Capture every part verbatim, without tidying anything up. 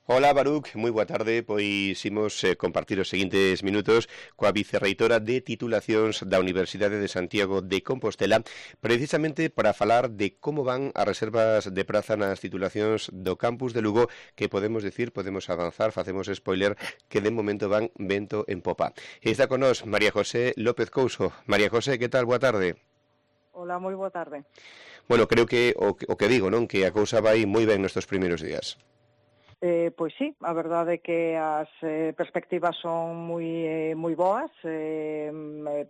Hola, Baruch, moi boa tarde. Pois imos eh, compartir os seguintes minutos coa vicerreitora de titulacións da Universidade de Santiago de Compostela, precisamente para falar de como van as reservas de praza nas titulacións do campus de Lugo, que podemos decir, podemos avanzar, facemos spoiler, que de momento van vento en popa. Está con nós María José López Couso. María José, que tal? Boa tarde. Hola, moi boa tarde. Bueno, creo que o, o que digo, non? Que a cousa vai moi ben nestes primeiros días. Eh, pois sí, a verdade é que as eh, perspectivas son moi eh, moi boas. Eh,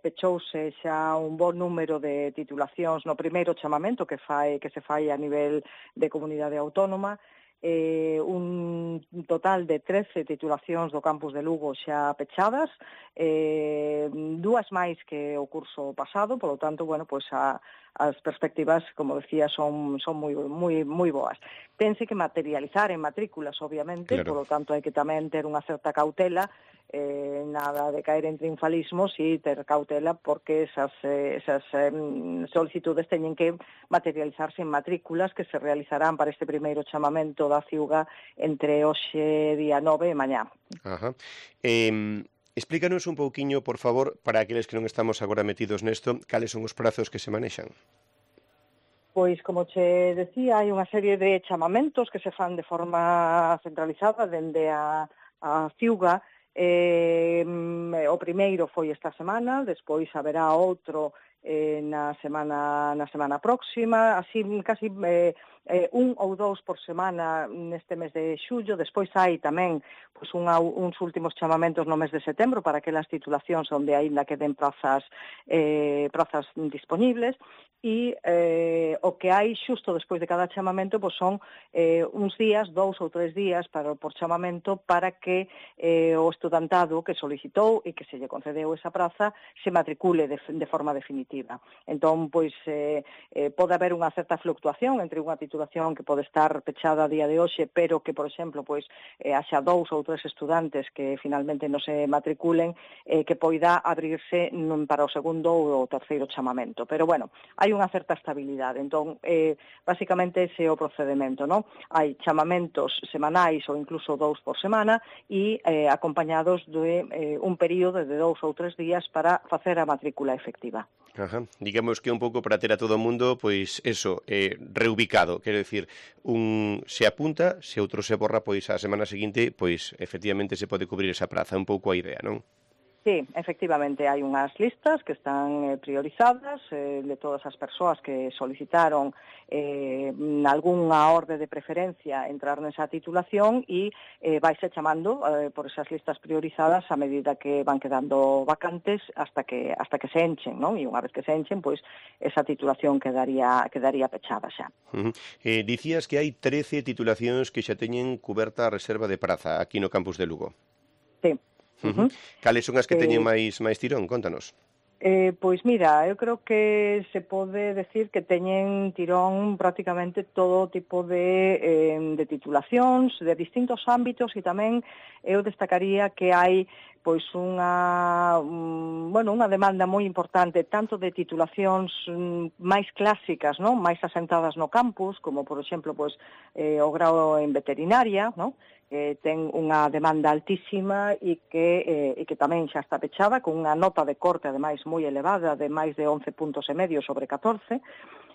pechouse xa un bon número de titulacións no primeiro chamamento que fai que se fai a nivel de comunidade autónoma. Eh, un total de trece titulacións do campus de Lugo xa pechadas, eh, dúas máis que o curso pasado, polo tanto, bueno, pois a, as perspectivas, como decía, son son moi moi moi boas. Tense que materializar en matrículas, obviamente, Claro. polo tanto hai que tamén ter unha certa cautela, eh, nada de caer en triunfalismos e ter cautela porque esas, eh, esas eh, solicitudes teñen que materializarse en matrículas que se realizarán para este primeiro chamamento da Ciuga entre hoxe día nove e mañá. Ajá. Eh, explícanos un pouquiño, por favor, para aqueles que non estamos agora metidos nesto, cales son os prazos que se manexan. Pois, como che decía, hai unha serie de chamamentos que se fan de forma centralizada dende a, a Ciuga. Eh, o primeiro foi esta semana, despois haberá outro eh, na semana na semana próxima, así casi eh, eh, un ou dous por semana neste mes de xullo. Despois hai tamén pois, unha, uns últimos chamamentos no mes de setembro para aquelas titulacións onde aínda queden prazas, eh, prazas disponibles. E eh, o que hai xusto despois de cada chamamento pois son eh, uns días, dous ou tres días para, por chamamento para que eh, o estudantado que solicitou e que se lle concedeu esa praza se matricule de, de forma definitiva. Entón, pois, eh, eh, pode haber unha certa fluctuación entre unha titulación que pode estar pechada a día de hoxe, pero que, por exemplo, pois, eh, haxa dous ou tres estudantes que finalmente non se matriculen, eh, que poida abrirse para o segundo ou o terceiro chamamento. Pero, bueno, hai hai unha certa estabilidade. Entón, eh, basicamente ese é o procedemento, non? Hai chamamentos semanais ou incluso dous por semana e eh, acompañados de eh, un período de dous ou tres días para facer a matrícula efectiva. Ajá. Digamos que un pouco para ter a todo o mundo, pois eso, eh, reubicado, quero decir, un se apunta, se outro se borra, pois a semana seguinte, pois efectivamente se pode cubrir esa praza, un pouco a idea, non? Sí, efectivamente, hai unhas listas que están eh, priorizadas eh, de todas as persoas que solicitaron eh, algunha orde de preferencia entrar nesa titulación e eh, vaise chamando eh, por esas listas priorizadas a medida que van quedando vacantes hasta que hasta que se enchen, non? E unha vez que se enchen, pois esa titulación quedaría quedaría pechada xa. Uh -huh. eh, dicías que hai trece titulacións que xa teñen cuberta a reserva de praza aquí no campus de Lugo. Sí. Uh -huh. Cales son as que eh, teñen máis máis tirón? Contanos. Eh, pois mira, eu creo que se pode decir que teñen tirón prácticamente todo tipo de, eh, de titulacións, de distintos ámbitos, e tamén eu destacaría que hai pois unha, um, bueno, unha demanda moi importante tanto de titulacións um, máis clásicas, non? Máis asentadas no campus, como por exemplo pois eh, o grao en veterinaria, non? Que ten unha demanda altísima e que, eh, e que tamén xa está pechada con unha nota de corte ademais moi elevada de máis de once puntos e medio sobre catorce,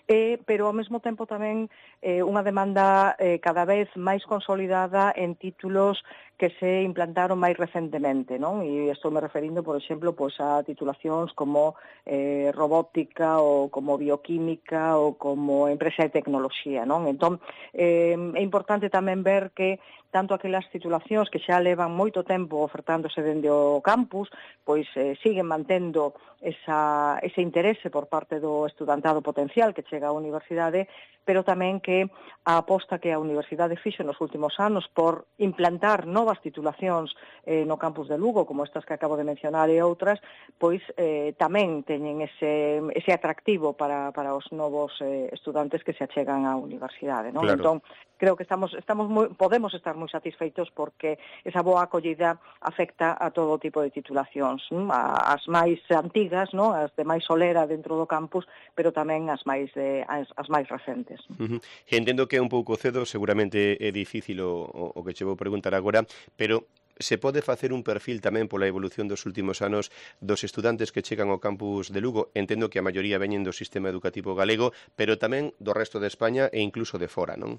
eh, pero ao mesmo tempo tamén eh, unha demanda eh, cada vez máis consolidada en títulos que se implantaron máis recentemente, non? E estou me referindo, por exemplo, pois a titulacións como eh, robótica ou como bioquímica ou como empresa de tecnoloxía, non? Entón, eh, é importante tamén ver que tanto aquelas titulacións que xa levan moito tempo ofertándose dende o campus, pois eh, siguen mantendo esa, ese interese por parte do estudantado potencial que chega á universidade, pero tamén que a aposta que a universidade fixo nos últimos anos por implantar novas titulacións eh, no campus de Lugo, Lugo, como estas que acabo de mencionar e outras, pois eh, tamén teñen ese, ese atractivo para, para os novos eh, estudantes que se achegan á universidade, non? Claro. Entón, creo que estamos estamos moi, podemos estar moi satisfeitos porque esa boa acollida afecta a todo tipo de titulacións, non? As máis antigas, non? As de máis solera dentro do campus, pero tamén as máis de as, as máis recentes. Uh -huh. Entendo que é un pouco cedo, seguramente é difícil o, o, o que che vou preguntar agora, pero se pode facer un perfil tamén pola evolución dos últimos anos dos estudantes que chegan ao campus de Lugo. Entendo que a maioría veñen do sistema educativo galego, pero tamén do resto de España e incluso de fora, non?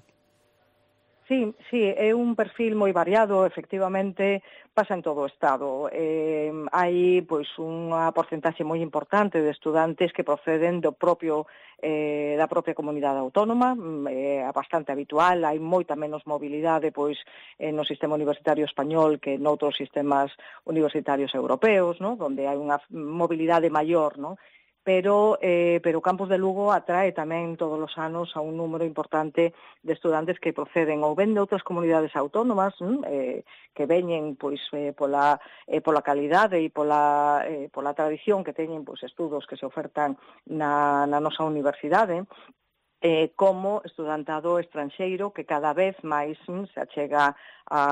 Sí, sí, é un perfil moi variado, efectivamente, pasa en todo o Estado. Eh, hai pois unha porcentaxe moi importante de estudantes que proceden do propio eh, da propia comunidade autónoma, é eh, bastante habitual, hai moita menos mobilidade pois eh, no sistema universitario español que noutros sistemas universitarios europeos, ¿no? Donde hai unha mobilidade maior, ¿no? Pero, eh, pero o campus de Lugo atrae tamén todos os anos a un número importante de estudantes que proceden ou ben de outras comunidades autónomas, eh, que veñen pois eh, pola eh, pola calidade e pola eh, pola tradición que teñen pois estudos que se ofertan na, na nosa universidade, eh, como estudantado estranxeiro que cada vez máis mm, se achega a,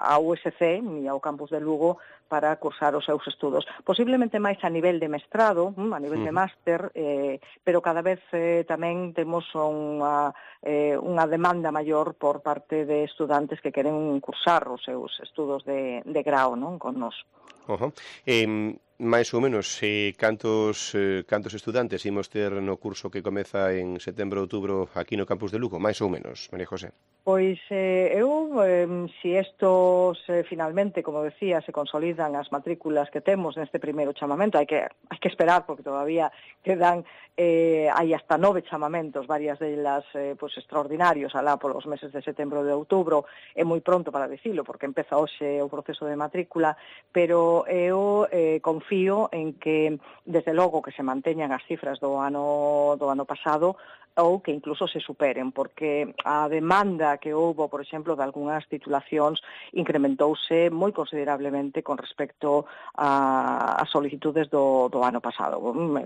a U S C e ao campus de Lugo para cursar os seus estudos. Posiblemente máis a nivel de mestrado, a nivel de máster, eh, pero cada vez eh, tamén temos unha, eh, unha demanda maior por parte de estudantes que queren cursar os seus estudos de, de grao, non, con nós. Uh -huh. eh, máis ou menos, eh, cantos, eh, cantos estudantes imos ter no curso que comeza en setembro, outubro aquí no campus de Lugo? Máis ou menos, María José? Pois eh, eu, eh, si estos eh, finalmente, como decía, se consolidan as matrículas que temos neste primeiro chamamento, hai que hai que esperar porque todavía quedan eh, hai hasta nove chamamentos, varias delas eh, pois extraordinarios alá polos meses de setembro e de outubro, é moi pronto para dicilo porque empeza hoxe o proceso de matrícula, pero eu eh, confío en que desde logo que se manteñan as cifras do ano do ano pasado ou que incluso se superen, porque a demanda que houbo, por exemplo, de algunhas titulacións incrementouse moi considerablemente con respecto a, a solicitudes do, do ano pasado.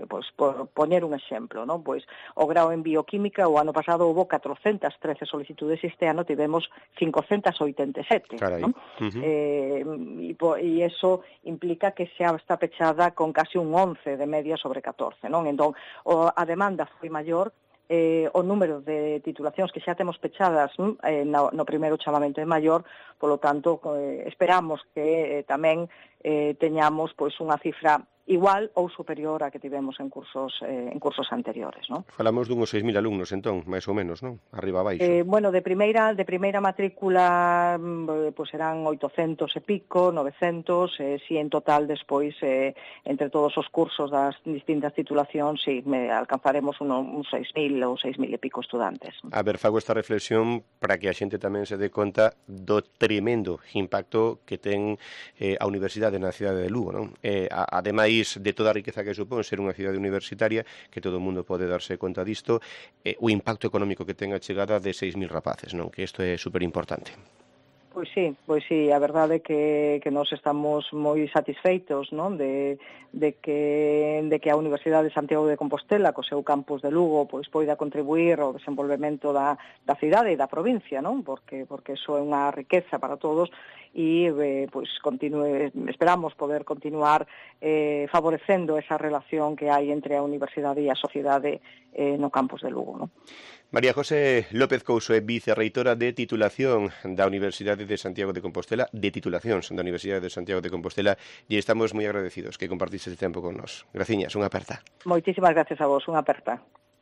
Pois, por poñer un exemplo, non? Pois, o grao en bioquímica o ano pasado houbo catrocentas trece solicitudes, este ano tivemos cincocentas oitenta e sete. Non? Uh -huh. eh, e, e iso implica que xa está pechada con casi un once de media sobre catorce. Non? Entón, o, a demanda foi maior, Eh, o número de titulacións que xa temos pechadas eh, no, no primeiro chamamento é maior, polo tanto, eh, esperamos que eh, tamén eh, teñamos pois unha cifra igual ou superior a que tivemos en cursos eh, en cursos anteriores, non? Falamos dunhos seis mil alumnos, entón, máis ou menos, non? Arriba abaixo. Eh, bueno, de primeira de primeira matrícula pois serán oitocentos e pico, novecentos, eh, si en total despois eh, entre todos os cursos das distintas titulacións, si me alcanzaremos unos, uns seis mil ou seis mil e pico estudantes. A ver, fago esta reflexión para que a xente tamén se dé conta do tremendo impacto que ten eh, a universidade na cidade de Lugo, non? Eh, ademais de toda a riqueza que supón ser unha cidade universitaria, que todo o mundo pode darse conta disto, eh, o impacto económico que ten a chegada de seis mil rapaces, non? Que isto é super importante. Pois sí, pois sí, a verdade é que, que nós estamos moi satisfeitos, non? De, de, que, de que a Universidade de Santiago de Compostela, co seu campus de Lugo, pois poida contribuir ao desenvolvemento da, da cidade e da provincia, non? Porque, porque iso é unha riqueza para todos e eh, pois continue, esperamos poder continuar eh, favorecendo esa relación que hai entre a universidade e a sociedade eh, no campus de Lugo, non? María José López Couso é vicerreitora de titulación da Universidade de Santiago de Compostela, de titulacións da Universidade de Santiago de Compostela, e estamos moi agradecidos que compartiste este tempo con nós. Graciñas, unha aperta. Moitísimas gracias a vos, unha aperta.